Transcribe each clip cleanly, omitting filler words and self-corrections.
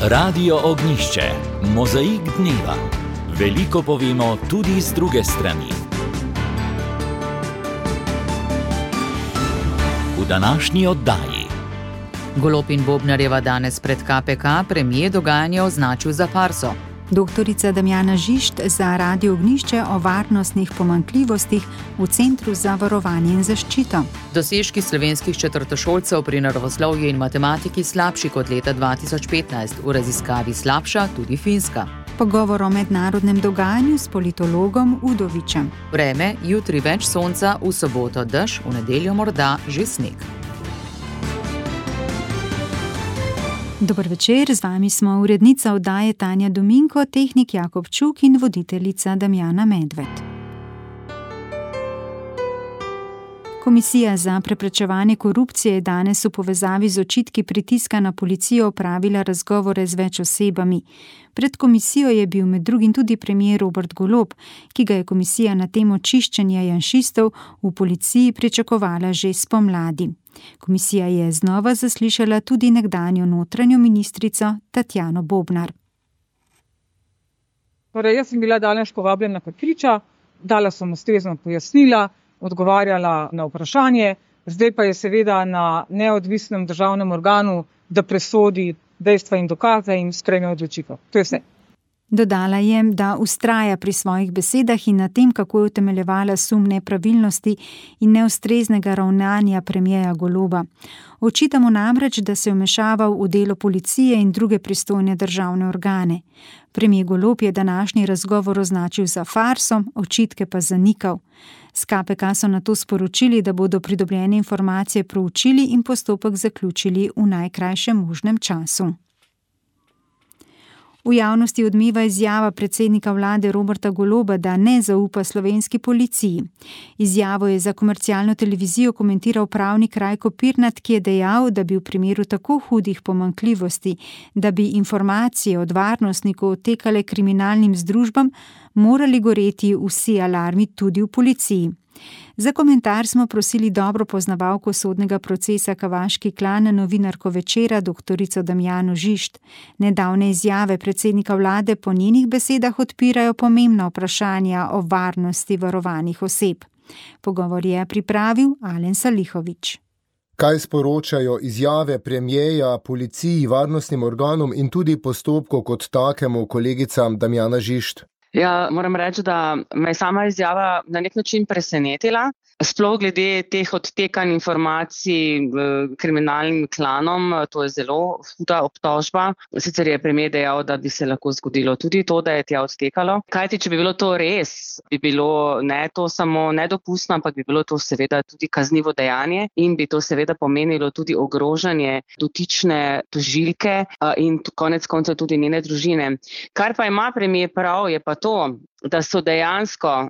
Radio Ognjišče, mozaik dneva. Veliko povemo tudi z druge strani. V današnji oddaji. Golob in Bobnarjeva danes pred KPK, premier dogajanje označil za farso. Doktorica Damjana Žišt za Radio Ognjišče o varnostnih pomanjkljivostih v Centru za varovanje in zaščito. Dosežki slovenskih četrtošolcev pri naravoslovju in matematiki slabši kot leta 2015, v raziskavi slabša tudi Finska. Pogovor o mednarodnem dogajanju s politologom Udovičem. Vreme, jutri več sonca, v soboto dež, v nedeljo morda že sneg. Dober večer, z vami smo urednica oddaje Tanja Dominko, tehnik Jakob Čuk in voditeljica Damjana Medved. Komisija za preprečevanje korupcije je danes v povezavi z očitki pritiska na policijo opravila razgovore z več osebami. Pred komisijo je bil med drugim tudi premier Robert Golob, ki ga je komisija na temo čiščenja janšistov v policiji pričakovala že spomladi. Komisija je znova zaslišala tudi nekdanjo notranjo ministrico Tatjano Bobnar. Torej, jaz sem bila danes povabljena kot priča, dala sem ustrezno pojasnila, odgovarjala na vprašanje, zdaj pa je seveda na neodvisnem državnem organu, da presodi dejstva in dokaze in sprejme odločitev. To je vse. Dodala je, da vztraja pri svojih besedah in na tem, kako je utemeljevala sum nepravilnosti in neustreznega ravnanja premierja Goloba. Očitamo namreč, da se je vmešaval v delo policije in druge pristojne državne organe. Premier Golob je današnji razgovor označil za farso, očitke pa zanikal. S KPK so nato sporočili, da bodo pridobljene informacije proučili in postopek zaključili v najkrajšem možnem času. V javnosti odmeva izjava predsednika vlade Roberta Goloba, da ne zaupa slovenski policiji. Izjavo je za komercialno televizijo komentiral pravnik Rajko Pirnat, ki je dejal, da bi v primeru tako hudih pomanjkljivosti, da bi informacije od varnostnikov odtekale kriminalnim združbam, morali goreti vsi alarmi tudi v policiji. Za komentar smo prosili dobro poznavalko sodnega procesa Kavaški klan, novinarko Večera, doktorico Damjano Žišt. Nedavne izjave predsednika vlade po njenih besedah odpirajo pomembna vprašanja o varnosti varovanih oseb. Pogovor je pripravil Alen Salihović. Kaj sporočajo izjave premierja, policiji, varnostnim organom in tudi postopku kot takemu, kolegica Damjana Žišt? Ja, moram reči, da me je sama izjava na nek način presenetila. Sploh glede teh odtekanj informacij kriminalnim klanom, to je zelo huda obtožba. Sicer je premier dejal, da bi se lahko zgodilo tudi to, da je tja odtekalo. Kajti, če bi bilo to res, bi bilo ne to samo nedopustno, ampak bi bilo to seveda tudi kaznivo dejanje in bi to seveda pomenilo tudi ogrožanje dotične tožilke in konec koncev tudi njene družine. Kar pa ima premier prav, je pa to, da so dejansko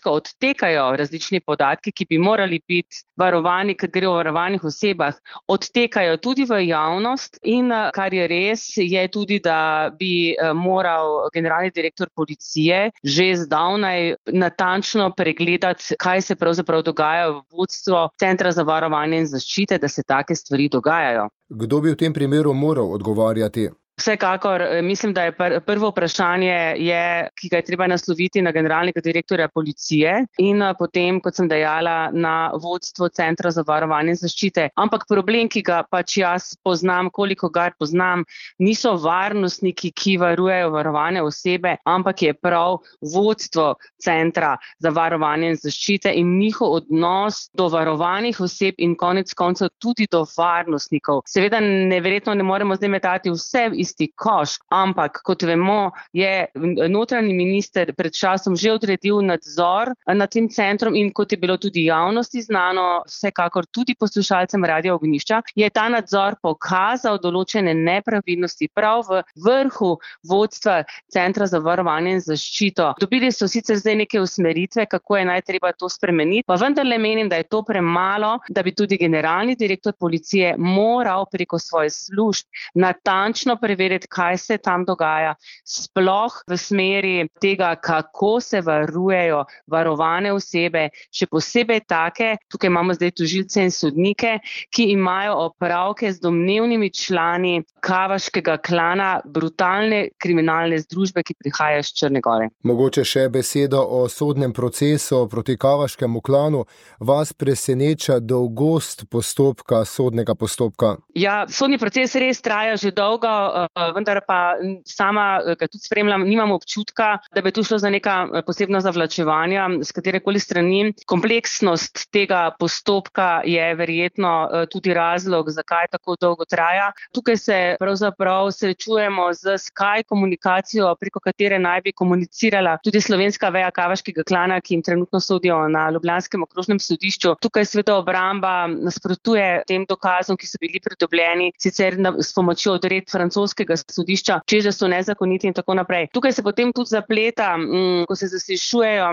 odtekajo različni podatki, ki bi morali biti varovani, ker gre o varovanih osebah, odtekajo tudi v javnost in kar je res, je tudi, da bi moral generalni direktor policije že zdavnaj natančno pregledati, kaj se pravzaprav dogaja v vodstvu Centra za varovanje in zaščite, da se take stvari dogajajo. Kdo bi v tem primeru moral odgovarjati? Vsekakor, mislim, da je prvo vprašanje, ki ga je treba nasloviti na generalnega direktorja policije in potem, kot sem dejala, na vodstvo Centra za varovanje in zaščite. Ampak problem, ki ga pač jaz poznam, koliko ga poznam, niso varnostniki, ki varujejo varovane osebe, ampak je prav vodstvo Centra za varovanje in zaščite in njihov odnos do varovanih oseb in konec koncev tudi do varnostnikov. Seveda neverjetno ne moremo zdaj metati vse isti koš, ampak kot vemo, je notranji minister pred časom že odredil nadzor nad tem centrom in kot je bilo tudi javnosti znano, vsekakor tudi poslušalcem Radio Ognjišča, je ta nadzor pokazal določene nepravilnosti prav v vrhu vodstva Centra za varovanje in zaščito. Dobili so sicer zdaj neke usmeritve, kako je naj treba to spremeniti, pa vendarle menim, da je to premalo, da bi tudi generalni direktor policije moral preko svoje služb natančno preveriti vedeti, kaj se tam dogaja, sploh v smeri tega, kako se varujejo varovane osebe, še posebej take, tukaj imamo zdaj tožilce in sodnike, ki imajo opravke z domnevnimi člani kavaškega klana, brutalne kriminalne združbe, ki prihajajo iz Črne Gore. Mogoče še beseda o sodnem procesu proti kavaškemu klanu. Vas preseneča dolgost sodnega postopka? Ja, sodni proces res traja že dolgo, vendar pa sama, ga tudi spremljam, nimam občutka, da bi tu šlo za neka posebna zavlačevanja s katerekoli strani. Kompleksnost tega postopka je verjetno tudi razlog, zakaj tako dolgo traja. Tukaj se pravzaprav srečujemo z Skype komunikacijo, preko katere naj bi komunicirala tudi slovenska veja kavaškega klana, ki jim trenutno sodijo na ljubljanskem okrožnem sodišču. Tukaj sveda obramba nasprotuje tem dokazom, ki so bili pridobljeni, sicer s pomočjo odredb francoskega sodišča, češ da so nezakoniti in tako naprej. Tukaj se potem tudi zapleta, ko se zaslišujejo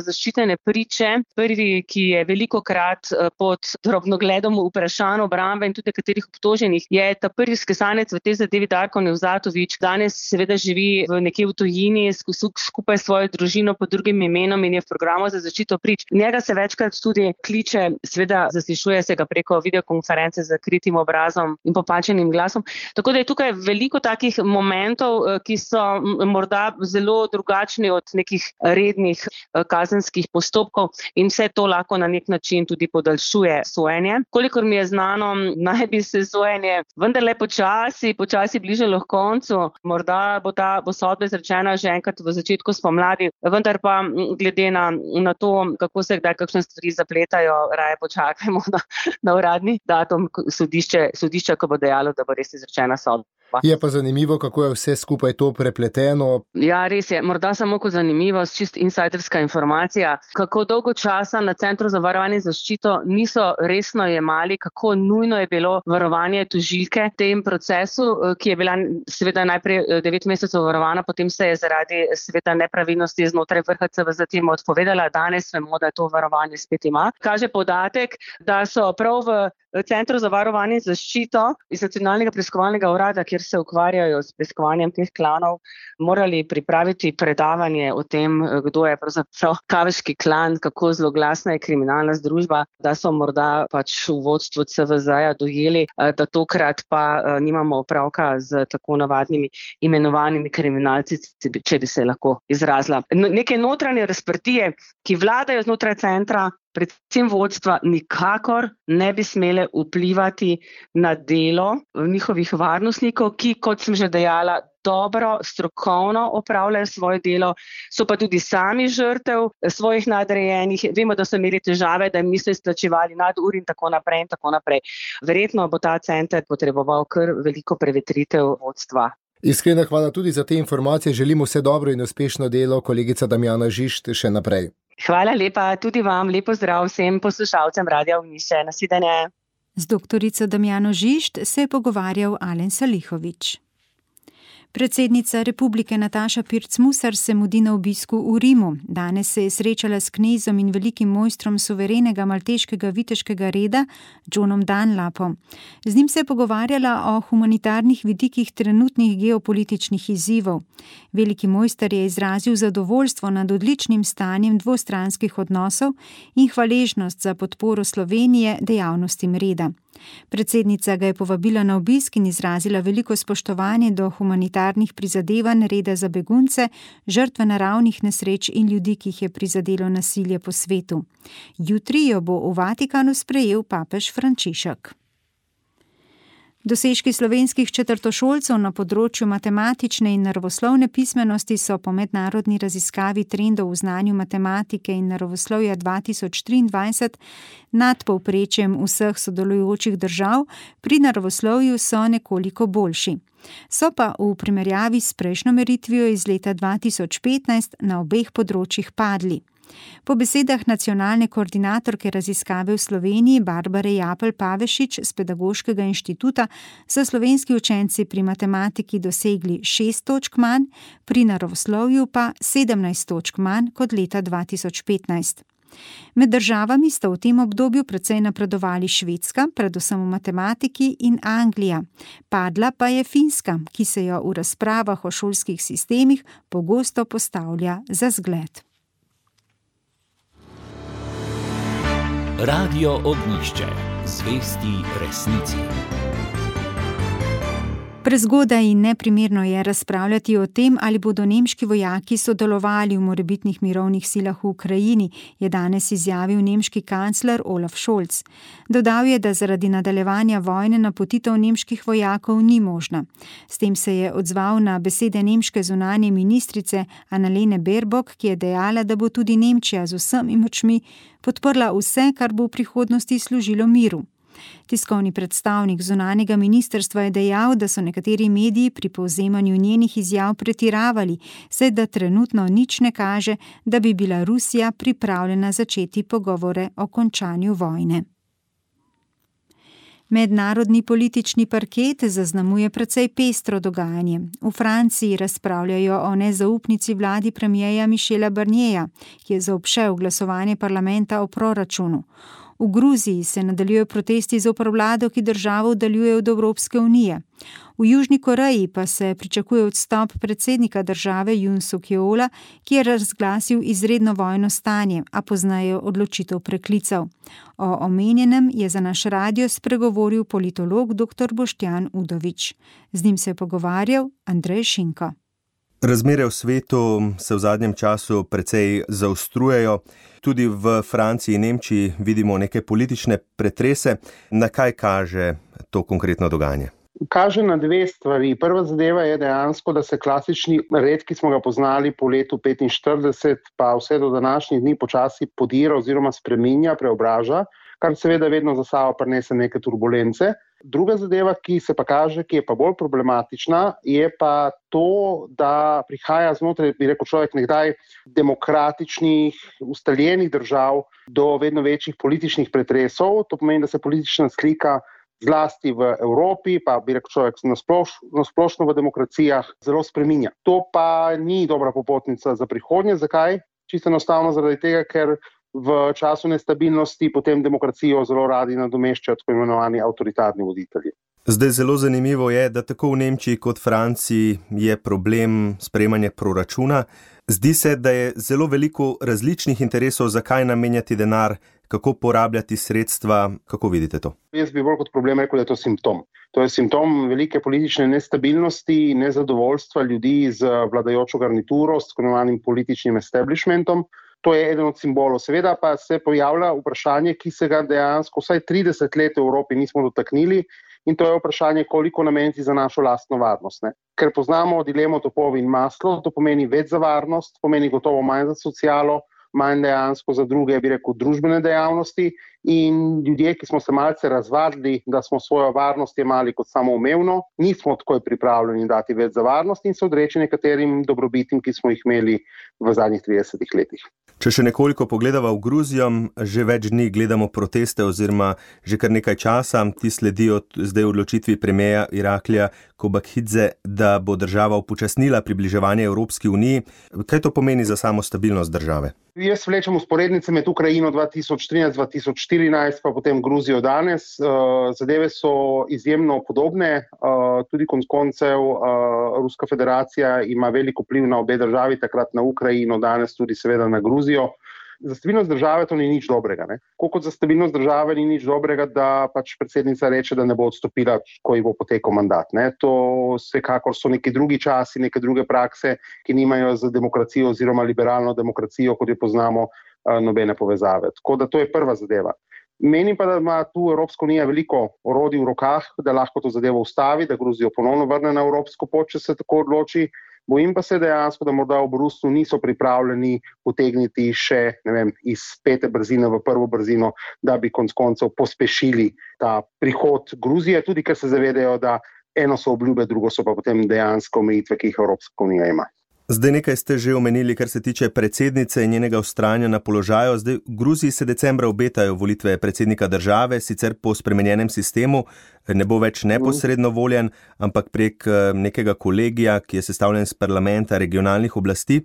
zaščitene priče. Prvi, ki je velikokrat pod drobnogledom vprašanj obrambe in tudi katerih obtoženih, je ta prvi skesanec v tej zadevi Darko Nevzatovič. Danes seveda živi nekje v tujini skupaj s svojo družino pod drugim imenom in je v programu za zaščito prič. Njega se večkrat tudi kliče, seveda zaslišuje se ga preko videokonference z zakritim obrazom in popačenim glasom. Tako da je tukaj veliko takih momentov, ki so morda zelo drugačni od nekih rednih kazenskih postopkov in vse to lahko na nek način tudi podaljšuje sojenje. Kolikor mi je znano, naj bi se sojenje vendarle počasi bližalo k koncu. Morda bo sodba izrečena že enkrat v začetku spomladi, vendar pa glede na to, kako se kdaj kakšne stvari zapletajo, raje počakajmo na uradni datum sodišča, ko bo dejalo, da bo res izrečena sodba. Je pa zanimivo, kako je vse skupaj to prepleteno. Ja, res je. Morda samo kot zanimivost, čist insiderska informacija, kako dolgo časa na Centru za varovanje in zaščito niso resno jemali, kako nujno je bilo varovanje tožilke v tem procesu, ki je bila seveda najprej 9 mesecev varovana, potem se je zaradi seveda nepravilnosti znotraj vrha CVZ odpovedala. Danes vemo, da to varovanje spet ima. Kaže podatek, da so prav v Centru za varovanje in zaščito iz Nacionalnega preiskovalnega urada, kjer se ukvarjajo s preiskovanjem teh klanov, morali pripraviti predavanje o tem, kdo je pravzaprav kavaški klan, kako zloglasna je kriminalna združba, da so morda pač v vodstvu CVZ-ja dojeli, da tokrat pa nimamo opravka z tako navadnimi imenovanimi kriminalci, če bi se lahko izrazila. Neke notranje razprtije, ki vladajo znotraj centra, predvsem vodstva, nikakor ne bi smele vplivati na delo njihovih varnostnikov, ki, kot sem že dejala, dobro, strokovno opravljajo svoje delo, so pa tudi sami žrtev svojih nadrejenih. Vemo, da so imeli težave, da jim niso izplačevali nadur in tako naprej in tako naprej. Verjetno bo ta center potreboval kar veliko prevetritev vodstva. Iskrena hvala tudi za te informacije. Želimo vse dobro in uspešno delo, kolegica Damjana Žišt, še naprej. Hvala lepa, tudi vam, lepo zdrav vsem poslušalcem Radia Ognjišče. Nasvidenje. Z doktorico Damjano Žišt se je pogovarjal Alen Salihovič. Predsednica republike Nataša Pirc-Musar se mudi na obisku v Rimu. Danes se je srečala s knezom in velikim mojstrom suverenega malteškega viteškega reda, Johnom Dunlapom. Z njim se je pogovarjala o humanitarnih vidikih trenutnih geopolitičnih izzivov. Veliki mojster je izrazil zadovoljstvo nad odličnim stanjem dvostranskih odnosov in hvaležnost za podporo Slovenije dejavnostim reda. Predsednica ga je povabila na obisk in izrazila veliko spoštovanje do humanitarnih prizadevanj reda za begunce, žrtve naravnih nesreč in ljudi, ki jih je prizadelo nasilje po svetu. Jutri jo bo v Vatikanu sprejel papež Frančišek. Dosežki slovenskih četrtošolcev na področju matematične in naravoslovne pismenosti so po mednarodni raziskavi trendov v znanju matematike in naravoslovja 2023 nad povprečjem vseh sodelujočih držav, pri naravoslovju so nekoliko boljši. So pa v primerjavi s prejšnjo meritvijo iz leta 2015 na obeh področjih padli. Po besedah nacionalne koordinatorke raziskave v Sloveniji Barbare Japelj-Pavešič z Pedagoškega inštituta so slovenski učenci pri matematiki dosegli 6 točk manj, pri naravoslovju pa 17 točk manj kot leta 2015. Med državami sta v tem obdobju precej napredovali Švedska, predvsem v matematiki, in Anglija. Padla pa je Finska, ki se jo v razpravah o šolskih sistemih pogosto postavlja za zgled. Radio Ognjišče. Zvesti resnici. Prezgodaj in neprimerno je razpravljati o tem, ali bodo nemški vojaki sodelovali v morebitnih mirovnih silah v Ukrajini, je danes izjavil nemški kancler Olaf Scholz. Dodal je, da zaradi nadaljevanja vojne napotitev nemških vojakov ni možna. S tem se je odzval na besede nemške zunanje ministrice Annalene Baerbock, ki je dejala, da bo tudi Nemčija z vsemi močmi podprla vse, kar bo v prihodnosti služilo miru. Tiskovni predstavnik zunanjega ministrstva je dejal, da so nekateri mediji pri povzemanju njenih izjav pretiravali, saj da trenutno nič ne kaže, da bi bila Rusija pripravljena začeti pogovore o končanju vojne. Mednarodni politični parket zaznamuje precej pestro dogajanje. V Franciji razpravljajo o nezaupnici vladi premierja Michela Barnierja, ki je zaobšel glasovanje parlamenta o proračunu. V Gruziji se nadaljujejo protesti zoper vlado, ki državo oddaljuje od Evropske unije. V Južni Koreji pa se pričakuje odstop predsednika države Yoon Suk-yeola, ki je razglasil izredno vojno stanje, a pozneje odločitev preklical. O omenjenem je za naš radio spregovoril politolog dr. Boštjan Udovič. Z njim se je pogovarjal Andrej Šinko. Razmere v svetu se v zadnjem času precej zaostrujejo. Tudi v Franciji in Nemčiji vidimo neke politične pretrese. Na kaj kaže to konkretno dogajanje? Kaže na dve stvari. Prva zadeva je dejansko, da se klasični red, ki smo ga poznali po letu 1945, pa vse do današnjih dni počasi podira oziroma spreminja, preobraža, kar seveda vedno za sabo prinese neke turbulence. Druga zadeva, ki se pa kaže, ki je pa bolj problematična, je pa to, da prihaja znotraj, bi rekel človek, nekdaj demokratičnih, ustaljenih držav do vedno večjih političnih pretresov. To pomeni, da se politična slika zlasti v Evropi, pa bi rekel človek na splošno v demokracijah, zelo spreminja. To pa ni dobra popotnica za prihodnje. Zakaj? Čisto enostavno zaradi tega, ker v času nestabilnosti potem demokracijo zelo radi nadomeščajo tako imenovani avtoritarni voditelji. Zdaj zelo zanimivo je, da tako v Nemčiji kot Franciji je problem sprejemanja proračuna. Zdi se, da je zelo veliko različnih interesov, zakaj namenjati denar, kako porabljati sredstva. Kako vidite to? Jaz bi bolj kot problem rekel, da je to simptom. To je simptom velike politične nestabilnosti, nezadovoljstva ljudi z vladajočo garnituro, s tako imenovanim političnim establishmentom. To je eden od simbolov. Seveda pa se pojavlja vprašanje, ki se ga dejansko vsaj 30 let v Evropi nismo dotaknili, in to je vprašanje, koliko nameniti za našo lastno varnost. Ne? Ker poznamo dilemo topov in maslo, to pomeni več za varnost, pomeni gotovo manj za socialo, manj dejansko za druge, bi rekel, družbene dejavnosti, in ljudje, ki smo se malce razvadili, da smo svojo varnost jemali kot samoumevno, nismo takoj pripravljeni dati več za varnost in se odreči nekaterim dobrobitim, ki smo jih imeli v zadnjih 30 letih. Če še nekoliko pogledava v Gruzijo, že več dni gledamo proteste oziroma že kar nekaj časa, ti sledijo zdaj odločitvi premierja Iraklija Kobakhidze, da bo država upočasnila približevanje Evropski uniji. Kaj to pomeni za samo stabilnost države? Jaz vlečem usporednice med Ukrajino 2013-2014, pa potem Gruzijo danes. Zadeve so izjemno podobne, tudi konec koncev Ruska federacija ima veliko vpliv na obe državi, takrat na Ukrajino, danes tudi seveda na Gruzijo. Za stabilnost države to ni nič dobrega. Kot za stabilnost države ni nič dobrega, da pač predsednica reče, da ne bo odstopila, ko ji bo potekel mandat. To vsekakor so neki drugi časi, neke druge prakse, ki nimajo z demokracijo oziroma liberalno demokracijo, kot jo poznamo, nobene povezave. Tako da to je prva zadeva. Menim pa, da ima tu Evropska unija veliko orodij v rokah, da lahko to zadevo ustavi, da Gruzijo ponovno vrne na evropsko pot, če se tako odloči. Bojim pa se dejansko, da morda v Bruslju niso pripravljeni potegniti še, iz 5. brzine v 1. brzino, da bi konec koncev pospešili ta prihod Gruzije, tudi ker se zavedajo, da eno so obljube, drugo so pa potem dejansko omejitve, ki jih Evropska unija ima. Zdaj nekaj ste že omenili, kar se tiče predsednice in njenega vztrajanja na položaju. Zdaj v Gruziji se decembra obetajo volitve predsednika države, sicer po spremenjenem sistemu, ne bo več neposredno voljen, ampak prek nekega kolegija, ki je sestavljen iz parlamenta regionalnih oblasti.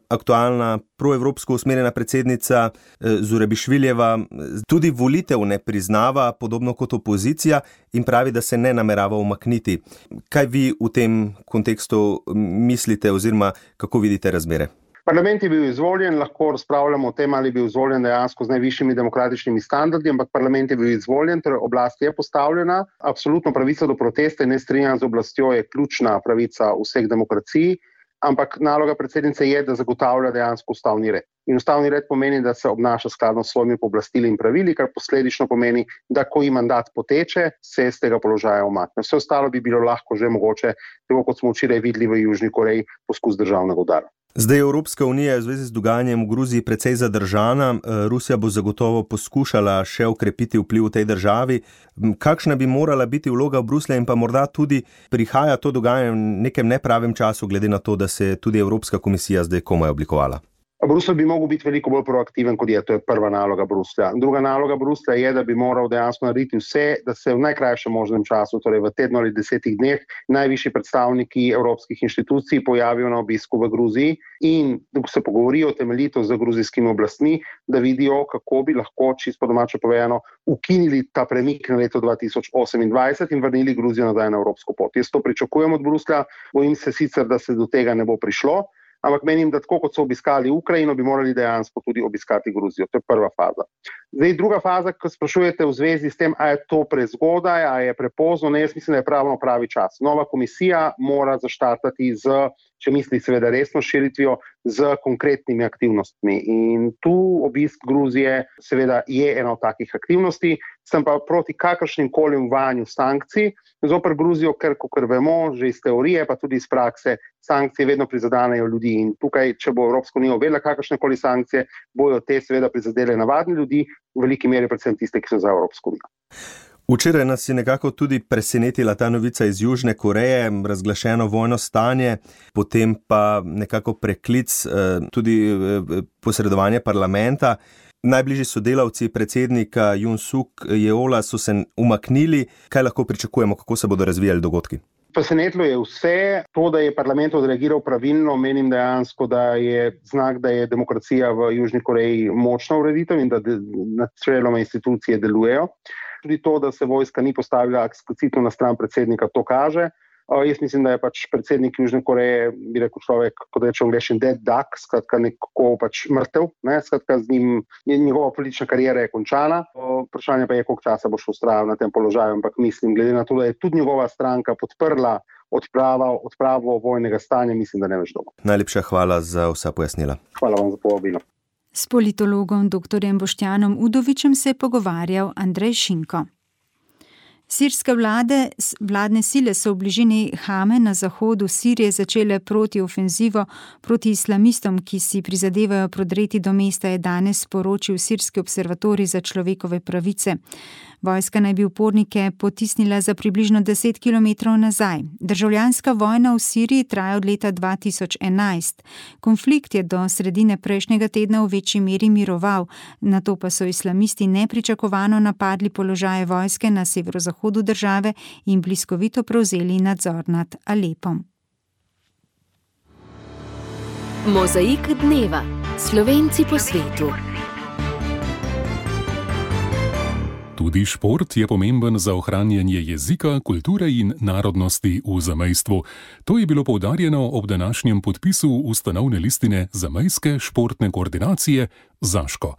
aktualna proevropsko usmerjena predsednica Zurabišviljeva tudi volitev ne priznava, podobno kot opozicija, in pravi, da se ne namerava umakniti. Kaj vi v tem kontekstu mislite oziroma kako vidite razmere? Parlament je bil izvoljen, lahko razpravljamo o tem, ali je bil izvoljen dejansko z najvišjimi demokratičnimi standardi, ampak parlament je bil izvoljen, torej oblast je postavljena. Absolutno pravica do protesta in nestrinjanja z oblastjo je ključna pravica vseh demokracij, ampak naloga predsednice je, da zagotavlja dejansko ustavni red. In ustavni red pomeni, da se obnaša skladno s svojimi pooblastili in pravili, kar posledično pomeni, da ko ji mandat poteče, se z tega položaja umakne. Vse ostalo bi bilo lahko že mogoče, tako kot smo včeraj videli v Južni Koreji, poskus državnega udara. Zdaj je Evropska unija v zvezi z dogajanjem v Gruziji precej zadržana. Rusija bo zagotovo poskušala še okrepiti vpliv v tej državi. Kakšna bi morala biti vloga Bruslja in pa morda tudi prihaja to dogajanje v nekem nepravem času, glede na to, da se tudi Evropska komisija zdaj komaj oblikovala? Bruselj bi mogel biti veliko bolj proaktiven, kot je. To je prva naloga Bruslja. Druga naloga Bruslja je, da bi moral dejansko narediti vse, da se v najkrajšem možnem času, torej v tednu ali 10 dneh, najvišji predstavniki evropskih inštitucij pojavijo na obisku v Gruziji in se pogovorijo temeljito z gruzijskimi oblastmi, da vidijo, kako bi lahko, čisto domače povedano, ukinili ta premik na leto 2028 in vrnili Gruzijo nazaj na evropsko pot. Jaz to pričakujem od Bruslja, bojim se sicer, da se do tega ne bo prišlo. Ampak menim, da tako kot so obiskali Ukrajino, bi morali dejansko tudi obiskati Gruzijo. To je prva faza. Zdaj, druga faza, ko sprašujete v zvezi s tem, a je to prezgodaj, a je prepozno, ne, jaz mislim, da je pravi čas. Nova komisija mora zaštartati če misli seveda resno širitvijo, z konkretnimi aktivnostmi. In tu obisk Gruzije seveda je ena od takih aktivnosti, sem pa proti kakršnim koli uvajanju sankcij zoper Gruzijo, ker, kot vemo, že iz teorije, pa tudi iz prakse, sankcije vedno prizadanejo ljudi. In tukaj, če bo Evropska unija uvedla kakršne koli sankcije, bojo te seveda prizadele navadni ljudi, v veliki meri predvsem tiste, ki so za Evropsko unijo. Včeraj nas je nekako tudi presenetila ta novica iz Južne Koreje, razglašeno vojno stanje, potem pa nekako preklic tudi posredovanje parlamenta. Najbližji sodelavci predsednika Yoon Suk Yeola so se umaknili. Kaj lahko pričakujemo, kako se bodo razvijali dogodki? Presenetilo je vse. To, da je parlament odreagiral pravilno, menim dejansko, da je znak, da je demokracija v Južni Koreji močna ureditev in da načeloma institucije delujejo. Tudi to, da se vojska ni postavila eksplicitno na stran predsednika, to kaže. Jaz mislim, da je pač predsednik Južne Koreje, bi rekel človek, kot reče angleščini, dead duck, skratka nekako pač mrtev, skratka z njim, njegova politična karijera je končana. Vprašanje pa je, koliko časa bo še vztrajal na tem položaju, ampak mislim, glede na to, da je tudi njegova stranka podprla odpravo vojnega stanja, mislim, da ne več dolgo. Najlepša hvala za vsa pojasnila. Hvala vam za povabilo. S politologom dr. Boštjanom Udovičem se je pogovarjal Andrej Šinko. Sirske vladne sile so v bližini Hame na zahodu Sirije začele protiofenzivo proti islamistom, ki si prizadevajo prodreti do mesta, je danes sporočil Sirski observatorij za človekove pravice. Vojska naj bi upornike potisnila za približno 10 kilometrov nazaj. Državljanska vojna v Siriji traja od leta 2011. Konflikt je do sredine prejšnjega tedna v večji meri miroval, nato pa so islamisti nepričakovano napadli položaje vojske na severozahodu države in bliskovito prevzeli nadzor nad Alepom. Mozaik dneva. Slovenci po svetu. Tudi šport je pomemben za ohranjanje jezika, kulture in narodnosti v zamejstvu. To je bilo poudarjeno ob današnjem podpisu ustanovne listine Zamejske športne koordinacije Zaško.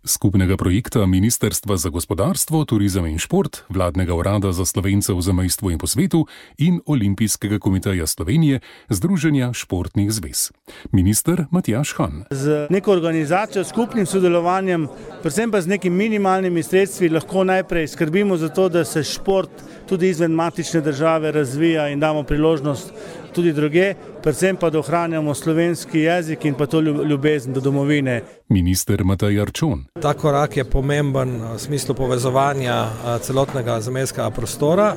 Skupnega projekta Ministrstva za gospodarstvo, turizem in šport, Vladnega urada za Slovence v zamejstvu in po svetu in Olimpijskega komiteja Slovenije, Združenja športnih zvez. Minister Matjaž Han. Z neko organizacijo, skupnim sodelovanjem, predvsem pa z nekimi minimalnimi sredstvi lahko najprej skrbimo za to, da se šport tudi izven matične države razvija in damo priložnost tudi druge, predvsem pa da ohranjamo slovenski jezik in pa to ljubezen do domovine. Minister Matej Arčon. Ta korak je pomemben v smislu povezovanja celotnega zamejskega prostora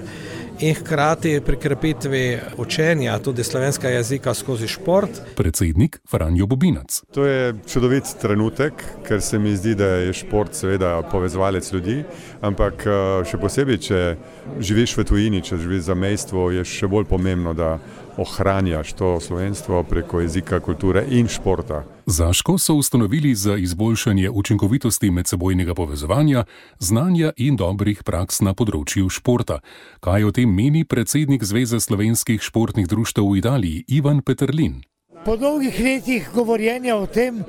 in hkrati pri krepitvi učenja tudi slovenskega jezika skozi šport. Predsednik Franjo Bobinac. To je čudovit trenutek, ker se mi zdi, da je šport seveda povezovalec ljudi, ampak še posebej, če živiš v tujini, če živiš za zamejstvo, je še bolj pomembno, da ohranjaš to slovenstvo preko jezika, kulture in športa. Zaško so ustanovili za izboljšanje učinkovitosti medsebojnega povezovanja, znanja in dobrih praks na področju športa. Kaj o tem meni predsednik Zveze slovenskih športnih društev v Italiji, Ivan Peterlin? Po dolgih letih govorjenja o tem,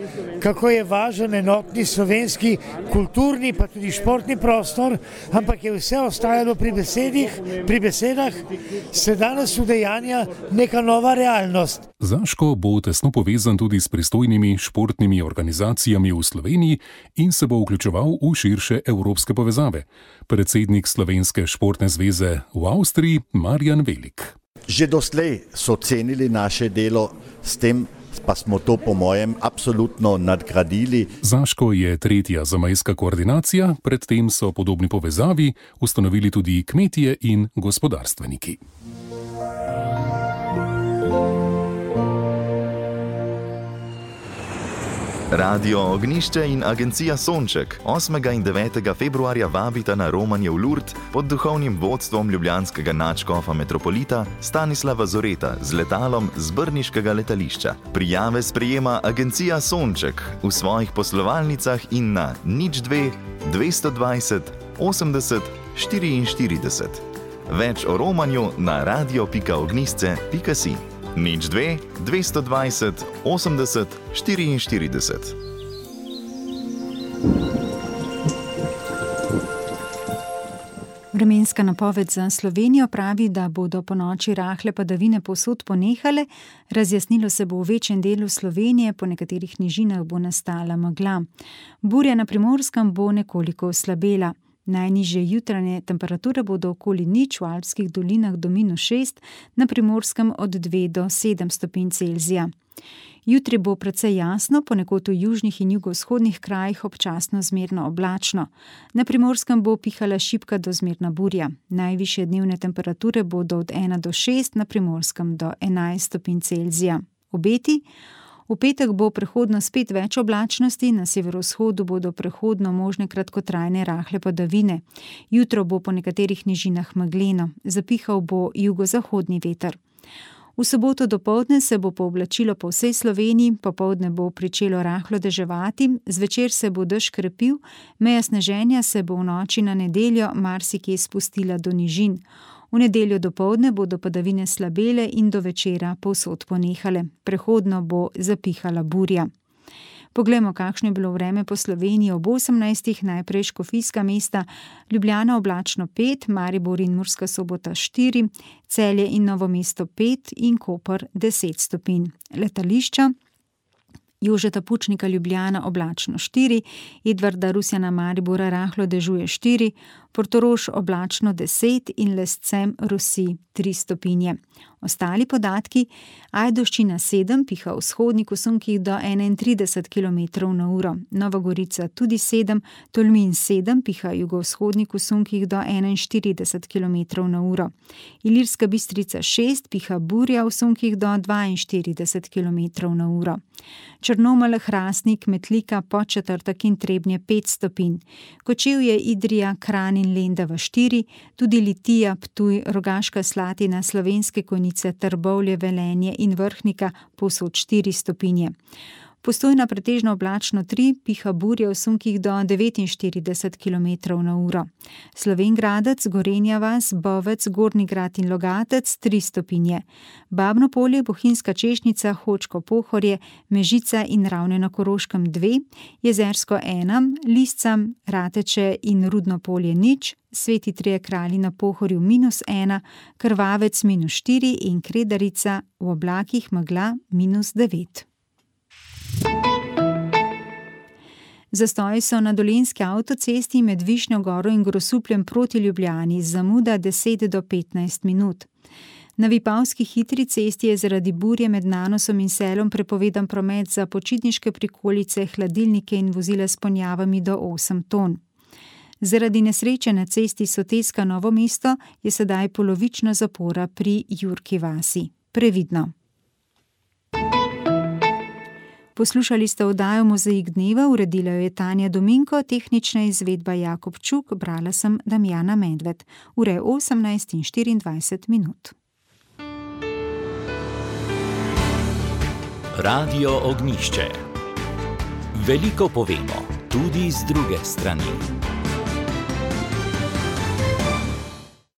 kako je važen enotni slovenski kulturni pa tudi športni prostor, ampak je vse ostajalo pri besedah, se danes udejanja neka nova realnost. Zaško bo tesno povezan tudi s pristojnimi športnimi organizacijami v Sloveniji in se bo vključeval v širše evropske povezave. Predsednik Slovenske športne zveze v Avstriji, Marjan Velik. Že doslej so cenili naše delo, s tem pa smo to po mojem absolutno nadgradili. Zaško je tretja zamejska koordinacija, predtem so podobni povezavi ustanovili tudi kmetje in gospodarstveniki. Radio Ognjišče in agencija Sonček 8. in 9. februarja vabita na romanje v Lourdes pod duhovnim vodstvom ljubljanskega nadškofa metropolita Stanislava Zoreta z letalom z brniškega letališča. Prijave sprejema agencija Sonček v svojih poslovalnicah in na 02 220 80 44. Več o romanju na radio.ognjišče.si. 02 220 80 44. Vremenska napoved za Slovenijo pravi, da bodo ponoči rahle padavine povsod ponehale, razjasnilo se bo v večjem delu Slovenije, po nekaterih nižinah bo nastala megla. Burja na Primorskem bo nekoliko oslabela. Najnižje jutranje temperature bodo okoli nič, v alpskih dolinah do -6, na Primorskem od 2 do 7 stopinj Celzija. Jutri bo precej jasno, ponekod v južnih in jugovzhodnih krajih občasno zmerno oblačno. Na Primorskem bo pihala šibka do zmerna burja. Najvišje dnevne temperature bodo od 1 do 6, na Primorskem do 11 stopinj Celzija. Obeti? V petek bo prehodno spet več oblačnosti, na severovzhodu bodo prehodno možne kratkotrajne rahle padavine. Jutro bo po nekaterih nižinah megleno, zapihal bo jugozahodni veter. V soboto dopoldne se bo pooblačilo po vsej Sloveniji, popoldne bo pričelo rahlo deževati, zvečer se bo dež krepil, meja sneženja se bo v noči na nedeljo marsikje spustila do nižin. V nedeljo dopoldne bodo padavine slabele in do večera povsod ponehale. Prehodno bo zapihala burja. Poglejmo, kakšno je bilo vreme po Sloveniji ob 18. Najprej škofijska mesta, Ljubljana oblačno 5, Maribor in Murska Sobota 4, Celje in Novo mesto 5 in Koper 10 stopinj. Letališča: Jožeta Pučnika Ljubljana oblačno 4, Edvarda Rusjana Maribora rahlo dežuje 4, Portorož oblačno 10 in Lescem Rusi 3 stopinje. Ostali podatki: Ajdovščina 7, piha vzhodnik v sunkih do 31 km/h, Nova Gorica tudi 7, Tolmin 7, piha jugovzhodnik v sunkih do 41 km/h, Ilirska Bistrica 6, piha burja v sunkih do 42 km/h. Črnomelj, Hrastnik, Metlika, Podčetrtek in Trebnje 5 stopinj. Kočevje, Idrija, Kranj in Lendava 4, tudi Litija, Ptuj, Rogaška Slatina, Slovenske Konjice, Trbovlje, Velenje in Vrhnika povsod 4 stopinje. Postojna pretežno oblačno 3, piha burja v sunkih do 49 km/h. Slovenj Gradec, Gorenja vas, Bovec, Gornji Grad in Logatec 3 stopinje. Babno Polje, Bohinjska Češnjica, Hočko Pohorje, Mežica in Ravne na Koroškem 2, Jezersko 1, Lisca, Rateče in Rudno Polje 0, Sveti Trije Kralji na Pohorju -1, Krvavec -4 in Kredarica v oblakih megla -9. Zastoji so na dolenjski avtocesti med Višnjo Goro in Grosupljem proti Ljubljani, zamuda 10 do 15 minut. Na Vipavski hitri cesti je zaradi burje med Nanosom in Selom prepovedan promet za počitniške prikolice, hladilnike in vozila s ponjavami do 8 ton. Zaradi nesreče na cesti Soteska Novo mesto je sedaj polovična zapora pri Jurki vasi. Previdno. Poslušali ste oddajo Mozaik dneva, uredila jo je Tanja Dominko, tehnična izvedba Jakob Čuk, brala sem Damjana Medved. Ura je 18:24. Radio Ognjišče. Veliko povemo, tudi z druge strani.